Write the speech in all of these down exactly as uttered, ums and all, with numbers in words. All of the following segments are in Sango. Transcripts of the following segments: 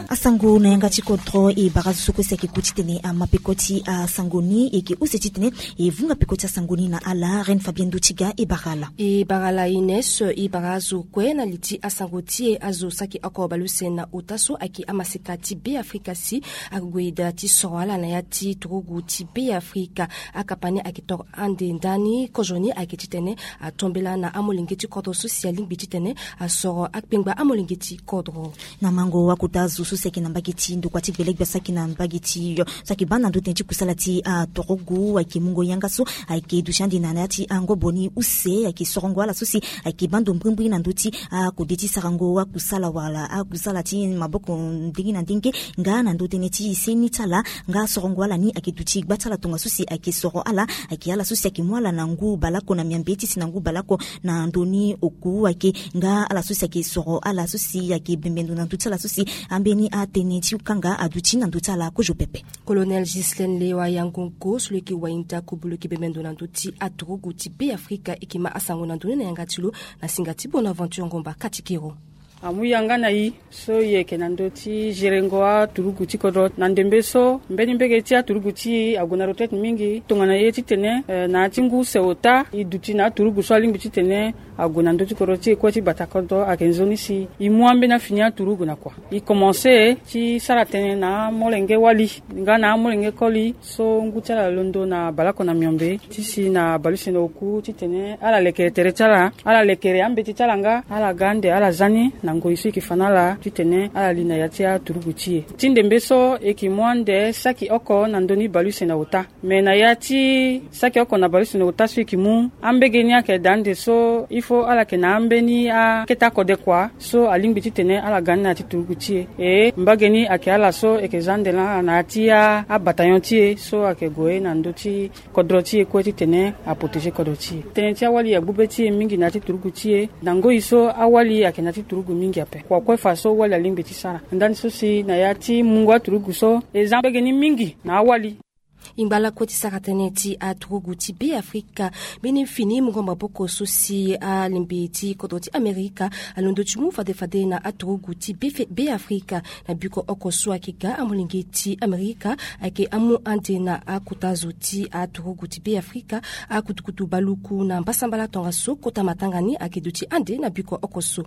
Asango na yanga ti kodro e bara zo so kue si ayeke ku titene ama peko ti asango ni, e yeke use titene e vunga peko ti asango ni na ala Reine Fabienne Dotiga e bara ala. E bara ala Ines, e bara azo kue na li ti asango ti e. Azo saki oko baleuse na ota so ayeke amaseka ti Beafrika si ague daa ti soro ala na ya ti turugu ti Beafrika. Akapa ni ayeke toro ande ndani, kozo ni ayeke titene atombela na amolenge ti kodro so si alingbi titene asoro akpengba amolenge ti kodro. Na mango akota zo so si ayeke na mbage ti ndokua ti gbelegbe so ayeke na mbage ti yo so ayeke baa na ndö tënë ti kusala ti aturugu, ayeke mungo yanga so ayeke duti ande na ya ti angobo ni use, ayeke sorongo ala so si ayeke baa ndo mbrimbri na ndö ti akode ti sarango akusala wala akusala ti maboko ndenge na ndenge, nga na ndö tënë ti seni ti ala, nga sorongo ala ni ayeke duti gba ti ala tongaso si ayeke soro ala, ayeke ala so si ayeke mu ala na ngu baleoko na miambe ti si na ngu baleoko na ndö ni oku ayeke, nga ala so si ayeke soro ala so si ayeke bembe ndo na ndö ti ala so si ambeni atënë ti kanga aduti na ndö ti ala kozo pepe. Colonel Ghislaine Lewa Yangongo so lo yeke wainda kobolo yeke bembe ndo na ndö ti aturugu ti Beafrika, e yeke ma asango na ndö ni na yanga ti lo na singa ti Bonaventure Ngomba Katikero. Amu yanga na i so i yeke na ndö ti gerengo aturugu ti kodro na ndembe so mbeni mbege ti aturugu ti i ague na retraite mingi. Tongana ye titene, eh, na ya ti ngu use ota i duti na aturugu so alingbi titene ague na ndö ti kodro ti e kue ti bata kodro ayeke nzoni si i mu ambeni afini aturugu na kua. I komanse ti sara tënë na amolenge wali nga na amolenge koli so ngu ti ala londo na baleoko na miombe ti si na baleuse na oku titene ala lekere tere ti ala, ala lekere ambeti ti ala nga ala ga ande ala za ni na ngoi so e yeke fa na ala titene ala li na ya ti aturugu ti e. Ti ndembe so e yeke mu ande saki oko na ndö ni baleuse na ota. Me na ya ti saki oko na baleuse na ota so e yeke mu, ambege ni ayeke daa ande so il faut ala yeke na ambeni akete akode kua so alingbi titene ala ga ni na ya ti turugu ti e. E mbage ni ayeke ala so e yeke za ande na ala na ya ti a, abataillon ti e so ayeke gue na ndö ti kodro ti e kue titene aprotéger kodro ti e. Tënë ti awali agbu be ti e mingi na ya ti turugu ti e. Na ngoi so awali ayeke na ya ti turugu mingi ape. Kua kue fa so wali alingbi ti sara. Ndani so si na ya ti mungo aturugu so e za mbege ni mingi na awali. E ngba lakue ti sara tënë ti aturugu ti Beafrika. Mbeni fini mungo maboko so si alembe ti kodro ti Amerika alondo ti mu fade fade na aturugu ti Befe-, Beafrika. Na biko oko so ayeke ga amolenge ti Amerika ayeke amu ande na akota zo ti aturugu ti Beafrika, akutukutu baluku na mbasambala tongaso kota matanga ni ayeke duti ande na biko oko so.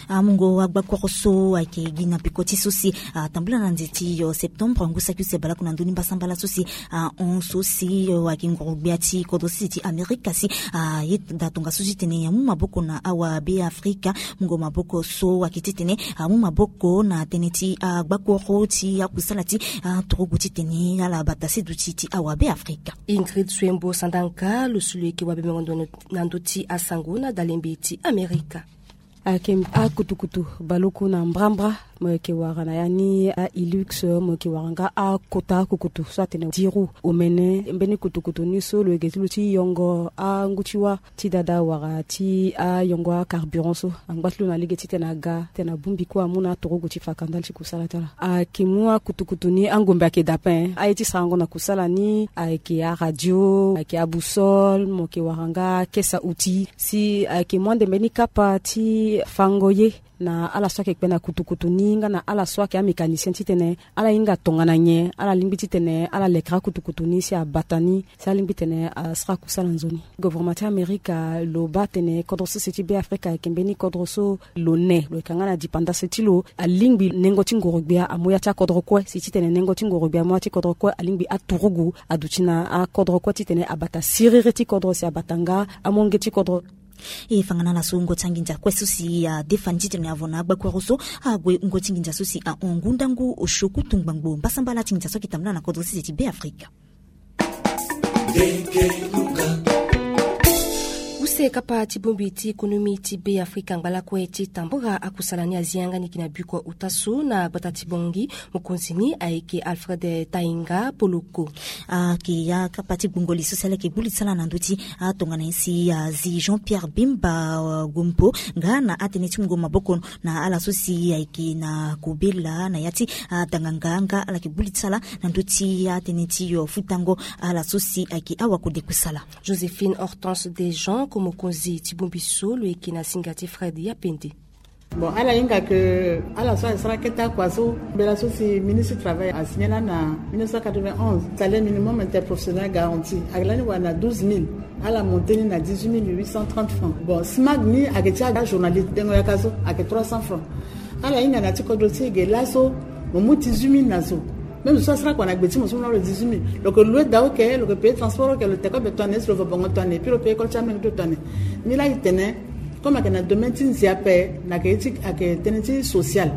Amungo agbakoro so ayeke gi na peko ti so si atambula na nze ti yo septembre ngu saki use baleoko na ndö ni mbasambala so si ahon so si yo ayeke ngoro gbia ti kodro sese ti Amerika si aye da tongaso titene amu maboko na awa Beafrika. Mungo maboko so ayeke titene amu maboko na tënë ti agbakoro ti akusala ti aturugu titene ala bata seduti ti awa Beafrika. Ingrid Suembo Sandanga lo so lo yeke wabembengo ndo na ndö ti asango na dalembe ti Amerika. Ayeke akutukutu baluku na mbrambra mo yeke wara na ya ni a-Hilux, mo yeke wara nga akota akukutu so atene dix roues. Omene mbeni kutukutu ni so lo yeke ti lo ti yongo angu ti wâ ti dada wala ti ayongo acarburant so angba ti lo na lege titene aga titene abongbi kue amu na aturugu ti fakandali ti kusala ti ala. Ayeke mu akutukutu ni angombe ayeke da ape. Aye ti sarango na kusala ni ayeke aradio, ayeke aboussole, mo yeke wara nga akesa outil. Si ayeke mu ande mbeni kapa ti fango ye na ala so ayeke kpe na kutukutu ni nga na ala so ayeke amécanicien titene ala hinga tongana nyen ala lingbi titene ala lekere akutukutu ni si abata ni si alingbi titene asara kusala nzoni. Gouvernement ti Amerika lo baa atene kodro sese ti Beafrika ayeke mbeni kodro so lo ne, lo yeke nga na dipandase ti lo. Alingbi nengo ti ngoro gbia amu ya ti akodro kue, si titene nengo ti ngoro gbia amu ya ti kodro kue alingbi aturugu aduti na akodro kue titene abata siriri ti kodro si abata nga amonge ti kodro. E fa nga na ala so wungo ti anginza kue so si adefa ni titene avo na agbakoro so ague wungo ti nginza so si ahon ngu ndangu osio kutu ngbangbo mbasambala ti nginza so ayeke tambula na kodro sese ti Beafrika. Use kapa ti bongbi ti ekonomi ti Beafrika ngba lakue ti tambula akusala ni azi yanga ni yeke na biko ota so na gbata ti Bangui. Mokonzi ni ayeke Alfred Tainga Poloko. Ayeke akapa ti gbungo li so si ala yeke gbu li ti ala na ndö ti atongana ye si azi Jean Pierre Bemba Gompo nga na atënë ti mungo maboko na ala so si ayeke na kobela na ya ti adanganga nga ala yeke gbu li ti ala na ndö ti atënë ti yo futango ala so si ayeke awa kode kusala. Joséphine Hortense Dejean, ko mokonzi ti bongbi so lo yeke na singa ti Fred Yapende. Bon, ala hinga ke ala so asara kete akua so, mbela so si ministre travail asigné lani na mille neuf cent quatre-vingt-onze, salaire minimum interprofessionnel garanti ayeke lani wara na douze mille. Ala monté ni na dix-huit mille huit cent trente francs. Bon, smag ni ayeke ti ajournaliste dengo yaka so ayeke trois cents francs. Ala hinga na ti kodro ti e ge laso, mo mu dix-huit mille na zo. Même zo so asara kua na gbe ti mo so mo na lo dix-huit mille, lo yeke loue daa oke, lo yeke paye transport oke, lo teke kobe tongana nyen si lo va bongo tongana nyen, puis lo paye école ti amenge ti lo tongana nyen. Ni laa e tene, comme ayeke na domaine ti nzi ape, na ayeke ti ayeke tënë ti social,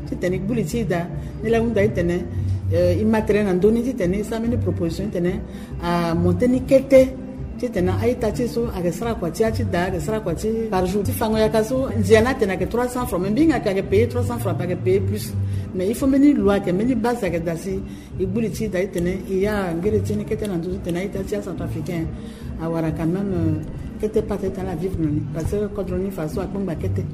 titene e gbu li ti e daa. Ni laa e hunda e tene, eh, e ma tere na ndö ni titene e sara mbeni proposition titene amonté ni kete, titene a-ita ti e so ayeke sara kua ti ya ti daa, ayeke sara kua ti par jour ti fango yaka so. Ndia ni atene ayeke trois cents francs, mais mbi hinga ayeke paye trois cents francs, ayeke paye plus. Mais il faut mbeni loi ayeke, mbeni base ayeke daa si e gbu li ti e daa titene e ya ngere ti e ni kete na ndö titene a-ita ti acentrafricain awara quand même, euh, kete pate titene ala vivre na ni, parce que kodro ni fadeso akpengba kete.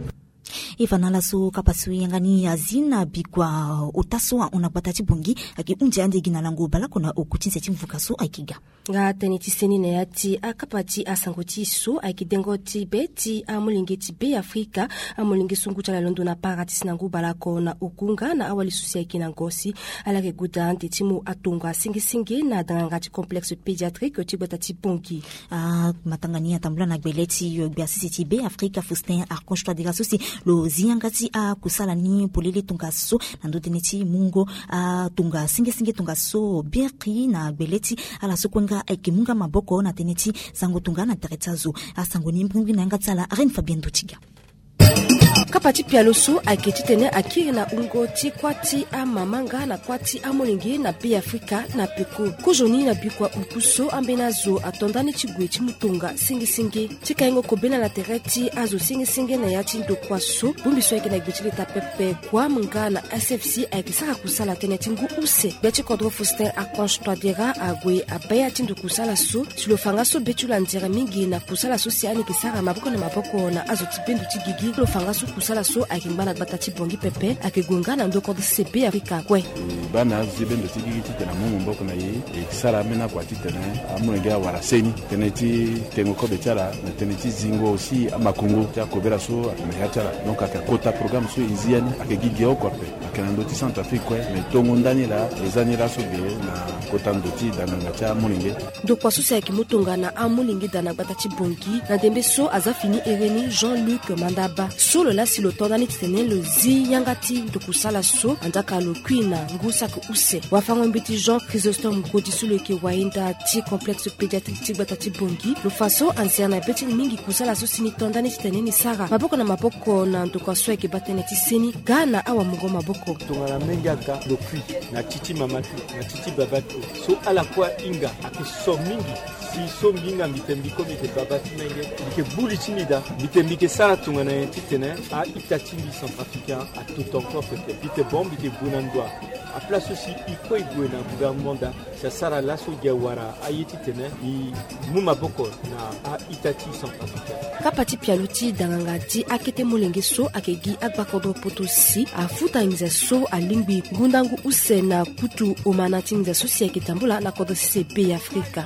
E fa na ala so kapa so e yanga ni azi na bikua ota so ahon na gbata ti Bangui ayeke hunzi ande gi na lango baleoko na oku ti nze ti mvuka so ayeke ga. Nga tënë ti seni na ya ti akapa ti asango ti e so ayeke dengo ti be ti amolenge ti Be Afrika. Amolenge so ngu ti ala londo na para ti si na ngu baleoko na oku nga na awali so si ayeke na ngo si ala yeke gue daa ande ti mu atonga senge senge na danganga ti complexe pédiatrique ti gbata ti Bangui. Ah, matanga ni atambula na gbele ti, euh, gbia sese ti Be Afrika Faustin Archange Touadéra so si lo zi yanga ti akusala ni polele tongaso na ndö tënë ti mungo, ah, tonga senge senge tongaso biri na gbele ti ala so kue nga ayeke mu nga maboko na tënë ti zango tonga na tere ti azo. Asango ni mbrimbri na yanga ti ala Reine Fabienne Dotiga. Kapa ti pialo so ayeke titene akiri na wungo ti kuâ ti amama nga na kuâ ti amolenge na Be Afrika na peko. Kozoni na bikua oku so ambeni azo ato ndani ti gue ti mu tonga senge senge. Ti kaingo kobela na tere ti azo senge senge na ya ti ndokua so, bongbi so ayeke na gbe ti leta pepe, kuâ nga na S F C ayeke sara kusala tënë ti ngu use. Gbia ti kodro Faustin Archange Touadéra ague abaya ti ndo kusala so, si lo fa nga so be ti lo anzere mingi na kusala so si ani yeke sara maboko na maboko na azo ti bendo ti gigi. Lo fa nga so kusala so ayeke ngba na gbata ti Bangui pepe, ayeke gue nga na ndo kodro sese Be Afrika kue. E baa na azo ti bendo ti gigi titene amu maboko na e, e sara ambeni akua titene amolenge awara seni. Tënë ti tengo kobe ti ala na tënë ti zingo aussi amakongo ti akobela so ayeke na ya ti ala. Donc ayeke kota programme so e zi ya ni, ayeke gi ge oko ape. Ayeke na ndö ti Centrafrique kue, me tongo ndani laa e za ni laso ge na kota ndo ti danganga ti amolenge. Ndokua so si ayeke mu tongana amolenge daa na gbata ti Bangui na ndembe so aza fini here ni, Jean-Luc Mandaba so lo laa si lo to ndani titene lo zi yanga ti ndokusala so, anzaka lo kui na ngu saki use. Wafango-mbeti Jean Chrysostome Godi so lo yeke wahinda ti complexe pédiatrique ti gbata ti Bangui, lo fa so anzere na be ti ni mingi kusala so si ni to ndani titene ni sara maboko na maboko na ndokua so ayeke baa tënë ti seni ga na awamungo maboko. Tongana menge aga lo kui na ti ti mama ti lo, na ti ti baba ti lo, so ala kue ahinga ayeke so mingi. Si so mbi hinga mbi tene mbi kue mbi yeke baba ti menge, mbi yeke gbu li ti mbi daa, mbi tene mbi yeke sara tongana nyen titene a-ita ti mbi Centrafricain ato tongo pepe. Mbi tene bon, mbi yeke gue na ndo. Aplace so si e kue e gue na gouvernement daa, si asara laso gi awara aye titene e mu maboko na a-ita ti Centrafricain. Kapa ti pialo ti danganga ti akete molenge so ayeke gi agbakodro poto si afuta nginza so alingbi ngundangu use na kutu omana ti nginza so si ayeke tambula na kodro sese Be Afrika.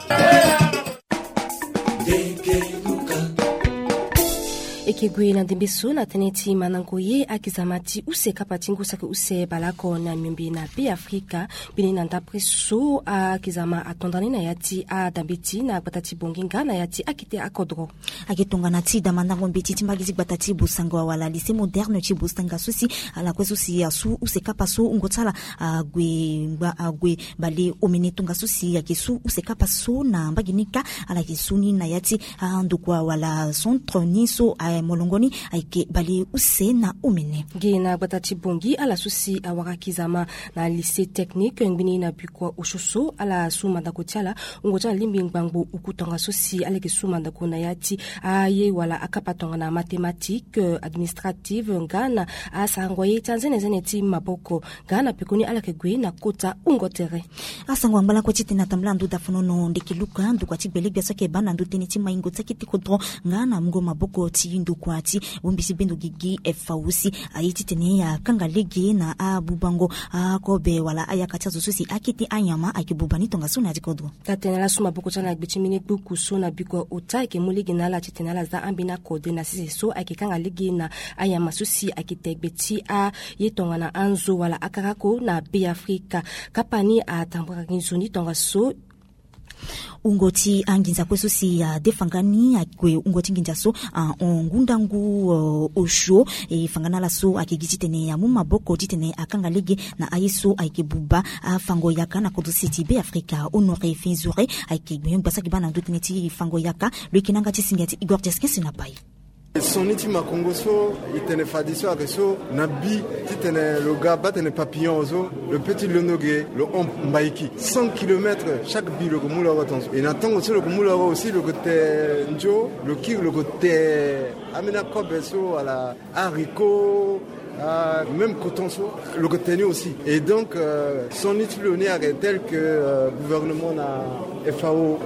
E yeke gue na ndembe so na tënë ti mandango ye akizama ti use kapa ti ngu saki use baleoko na miombe na Be Afrika. Mbeni na ndapre so akizama ato ndani na ya ti adambeti na gbata ti Bangui nga na ya ti akete akodro. Ayeke tongana ti da mandango mbeti ti mbage ti gbata ti Bosango awala lycée moderne ti Bosanga so si ala kue so si asu use kapa so wungo ti ala ague ngba ague bale omene tongaso si ayeke su use kapa so na mbage ni kâ. Ala yeke su ni na ya ti andokua wala centre ni so aye molongo ni ayeke bale use na omene. Ge na gbata ti Bangui ala so si awara kizama na lycée technique ngbeni na bikua osio so ala su mandako ti ala. Wungo ti ala lingbi ngbangbo oku tongaso si ala yeke su mandako na ya ti aye wala akapa tongana mathématique, euh, administrative nga na asarango ye ti anzenenzene ti maboko. Nga na pekoni ala yeke gue na kota wungo tere. Asango angba lakue titene atambula na ndo dafonono ndeke luka ndokua ti gbele gbia so ayeke baa na ndo tënë ti maingo ti akete kodro nga na mungo maboko ti Tokua ti bongbi ti bendo gigi F A O si aye titene akanga lege na abubango akobe wala ayaka ti azo so si akete anyama ayeke buba ni tongaso na ya ti kodro. Taa tene ala su maboko ti ala na gbe ti mbeni gbuku so na biko ota ayeke mu lege na ala titene ala za ambeni akode na sese so ayeke kanga lege na anyama so si ayeke te gbe ti aye tongana anzo wala akarako na Be Afrika. Kapa ni atambara gi nzoni tongaso. Wungo ti anginza kue so si adefa nga ni ague wungo ti nginza so ahon ngu ndangu osio. E fa nga na ala so ayeke gi titene amu maboko titene akanga lege na aye so ayeke buba afango yaka na kodro sese ti Be Afrika. Honoré Fenzure ayeke gbenyo gbasa gi baa na ndö tënë ti fango yaka. Lo yeke na yanga ti singa ti Igor Diaskens na pai. Sioni ti makongo so e tene fadeso ayeke so na bi titene lo ga baa tene papillon so lo pe ti londo ge lo hon mbaiki cent kilomètres chaque bi lo yeke mu loro tongaso. E na tango so lo yeke mu loro aussi lo yeke te nzo lo kiri lo yeke te ambeni akobe so wala haricot, même coton so lo yeke te ni aussi. Et donc sioni ti lo ni ayeke tel que gouvernement na F A O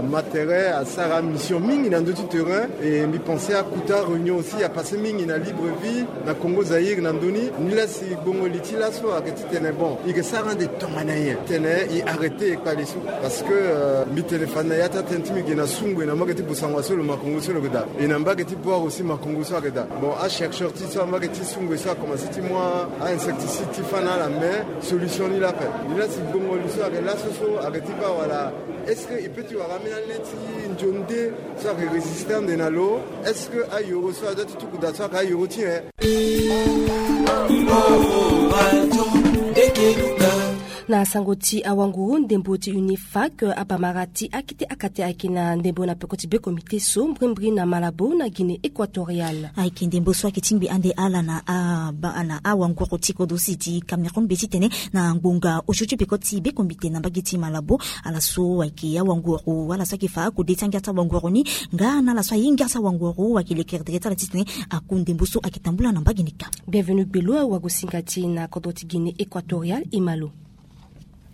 ma tere asara mission mingi na ndö ti terrain. Et mbi pense akuta réunion aussi apasse mingi na Libreville na Congo Zaïre na ndö ni. Ni laa si gbongo li ti laso ayeke titene bon e yeke sara ande tongana nyen titene e arrêter e kpale so. Parce que mbi tene fade na ya ti atene ti mbi ge na sungbe na mbage ti Bossangoa so lo makongo so lo yeke daa. E na mbage ti Bouar aussi makongo so ayeke daa. Bon achercheur ti so ambage ti sungbe so akomanse ti mu ainsecticide ti fâ na ala mais solution ni laa ape. Ni laa si gbongo li so ayeke laso so ayeke ti baa wala est-ce que e peut ti wara ambeni ane ti nzonde so ayeke résister ande na lo? Est-ce que ayoro so adoit ti tuku daa so ayeke ayoro ti nyen? Na sango ti awanguru ndembo ti UNIFAC, abamara ti akete akate ayeke na ndembo na peko ti be komite so mbrimbri na Malabo na Guinée Équatoriale. Ayeke ndembo so ayeke tingbi ande ala na awanguru ti kodro sese ti Cameroun be titene na ngbonga osio ti peko ti be komite na mbage ti Malabo. Ala so ayeke awanguru ala so ayeke fa akode ti angia ti awanguru ni nga na ala so ahinga ti awanguru ayeke lekere tere ti ala titene aku ndembo so ayeke tambula na mbage ni ka. Bienvenu gbelo awagosinga ti e na kodro ti Guinée Équatoriale e ma lo.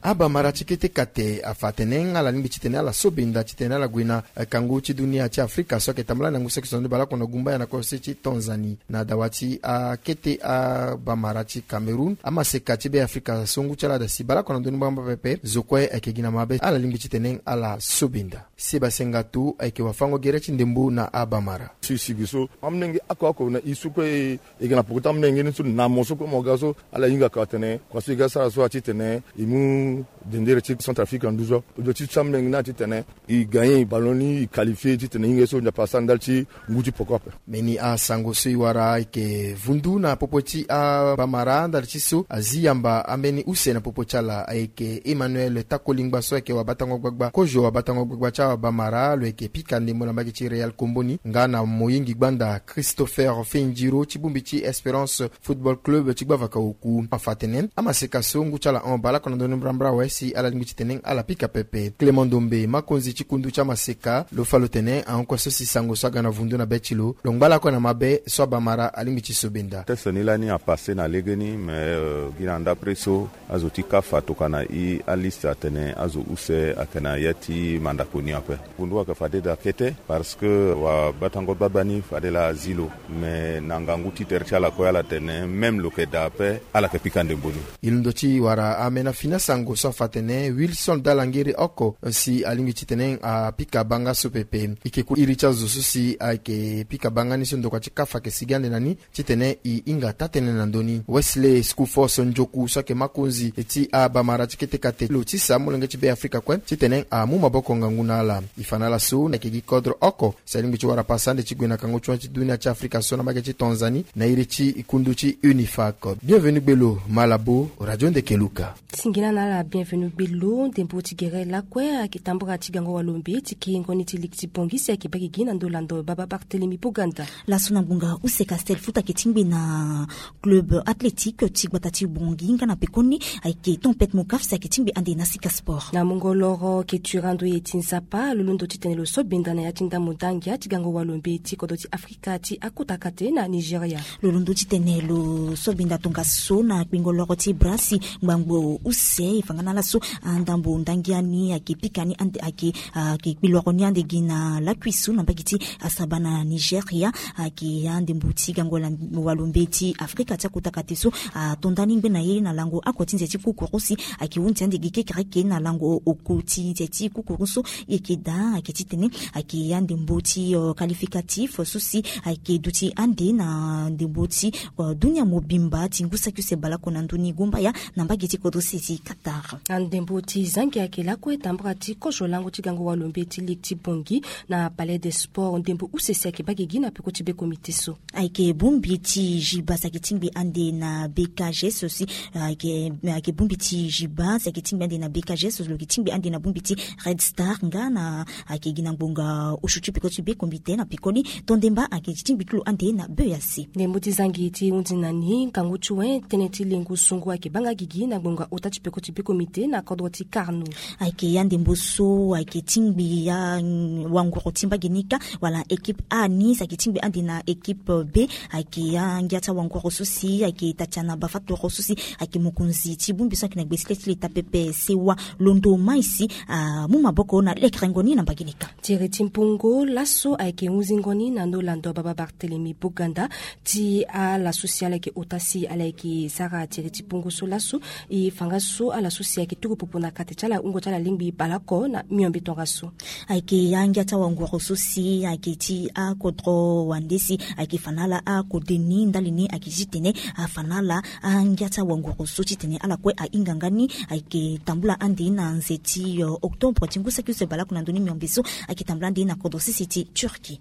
Abamara ti kete kate afa atene ala lingbi titene ala so benda titene ala gue na kangu ti dunia ti Afrika so ayeke tambula na ngu saki so na ni baleoko na gumbaya na kose ti Tanzanie. Na dawa ti akete abamara ti Cameroun, amaseka ti Be Afrika so ngu ti ala da si baleoko na ndoni mbrambra pepe zo kue ayeke gi na mabe ala lingbi titene ala so benda. Seba Sengatu ayeke wafango gere ti ndembo na abamara. Si si gi so amolenge oko oko na e so kue e yeke na poko ti amolenge ni so na mo so kue mo ga so ala hingaka tene kua so e ga sara so atitene e mu dendere ti Centrafrique na nduzu. Objectif ti amolenge ni atitene e gagner ballon ni e qualifier titene e hinga ye so Nzapa asara ndali ti ngu ti poko ape. Mbeni asango so e wara ayeke vundu na popo ti abamara ndali ti so azi yamba ambeni use na popo ti ala ayeke Emmanuel Takolingba so ayeke wabatango gbagba kozo wabatango gbagba ti abamara lo yeke pika ndembo na mbage ti Real Komboni nga na moyingi gbanda Christopher Fendiro ti bongbi ti Espérance Football Club ti gbavaka oku. Afa atene amaseka so ngu ti ala hon baleoko na ndoni mbrambra awe si ala lingbi titene ala pika pepe. Clément Ndombe makonzi ti kundu ti amaseka lo fa lo tene ahon kue so si sango so aga na vundu na be ti lo lo ngba lakue na mabe so abamara alingbi ti so benda. Test ni lani apasse na legeni mais gi na ndapre so azo ti CAF atokua na e aliste atene azo use ayeke na ya ti mandako ni ape. Kundu ayeke fade daa kete parce que wabatango gbagba ni fade laa azi lo. Mais na ngangu ti tere ti ala kue ala tene même lo yeke daa ape ala yeke pika ndembo ni. E londo ti wara amena fini asango so afa atene Wilson Dalangere oko si alingbi titene apika banga so pepe. E yeke ku iri ti azo so si ayeke pika banga ni so ndokua ti CAF ayeke sigi ande na ni titene e hinga taa-tënë na ndö ni. Wesley Skufos Njoku so ayeke makonzi ti abamara ti kete kate lo tisa molenge ti Be Afrika kue titene amu maboko ngangu na ala. E fa na ala so na yeke gi kodro oko si alingbi ti wara pasa ande ti gue na kango ti hon ti dunia ti Afrika so na mbage ti Tanzanie na iri ti kundu ti UNIFAC. Bienvenu gbelo, Malabo, Radio Ndeke Luka. Singila na ala Bienvenu gbelo. Ndembo ti gere lakue ayeke tambara ti gango walombe ti kiringo ni ti ligi ti Bangui si ayeke baa gigi na ndo lando baba Barthélemy Boganda. Laso na ngbonga use Castel Foot ayeke tingbi na club athlétique ti gbata ti Bangui nga na pekoni ayeke Tempête Mokaf si ayeke tingbi ande na Sika Sport. Na mungo loro yeke turando ye ti Nzapa lo londo titene lo so benda na ya ti ndambo ndangia ti gango walombe ti kodro ti Afrika ti akota kate na Nigeria. Lo londo titene lo so benda tongaso na kpingo loro ti bra si ngbangbo use e fa nga na Laso, andambo ndangi ani ayeke pika ni ande ayeke ayeke kpiloro ni ande gi na lakui so na mbage ti asaba na Nigeria. Ayeke andembo ti gango walo mbe ti Afrika ti akota kate so ato nda ni ngbene ye na lango oko ti nze ti kukuru si ayeke hunzi ande gi kekereke na lango oko ti nze ti kukuru so. E yeke daa ayeke titene ayeke andembo ti qualificatif so si ayeke duti ande na ndembo ti dunia mobimba ti ngu saki use baleoko na ndoni gumbaya na mbage ti kodro sese ti Qatar. Andembo ti zangi ayeke lakue tambara ti kozo lango ti gango walo mbe ti ligue ti Bangui na Palais des Sports ndembo use si ayeke baa gigi na peko ti be komite so. Ayeke bongbi ti Juba si ayeke tingbi ande na B K G so si ayeke ayeke bongbi ti Juba si ayeke tingbi ande na B K G so lo yeke tingbi ande na bongbi ti Red Star nga na ayeke gi na ngbonga osio ti peko ti be komite na pekoni. Tondemba ayeke tingbi ti lo ande na B A C. Ndembo ti zangi ti hunzi na ni ngangu ti wen tënë ti lengo sungu ayeke baa nga gigi na ngbonga ota ti peko ti be komite na kodro ti Karno. Ayeke ya ndembo so ayeke tingbi ya wanguru ti mbage ni kâ wala équipe A ni si ayeke tingbi ande na équipe B. Ayeke ya ngia ti awanguru so si ayeke Tatiana Bafatoro so si ayeke mokonzi ti bongbi so ayeke na gbe ti le ti leta pepe sewa londo mai si amu maboko na lekerengo ni na mbage ni kâ. Tere ti mpungo laso ayeke hunzingo ni na ndo lando baba Barthélemy Boganda ti ala so si ala yeke ota si ala yeke sara tere ti mpungo so laso. E fa nga so ala so si ayeke tuku popo na kate ti ala hungo ti ala lingbi baleoko na miombe tongaso. Ayeke ya ngia ti awanguru so si ayeke ti akodro wande si ayeke fa na ala akode ni ndali ni ayeke titene afa na ala angia ti awanguru so titene ala kue ahinga nga ni. Ayeke tambula ande na nze ti octobre ti ngu saki use baleoko na ndoni miombe so ayeke tambula ande na kodro sese ti Turquie.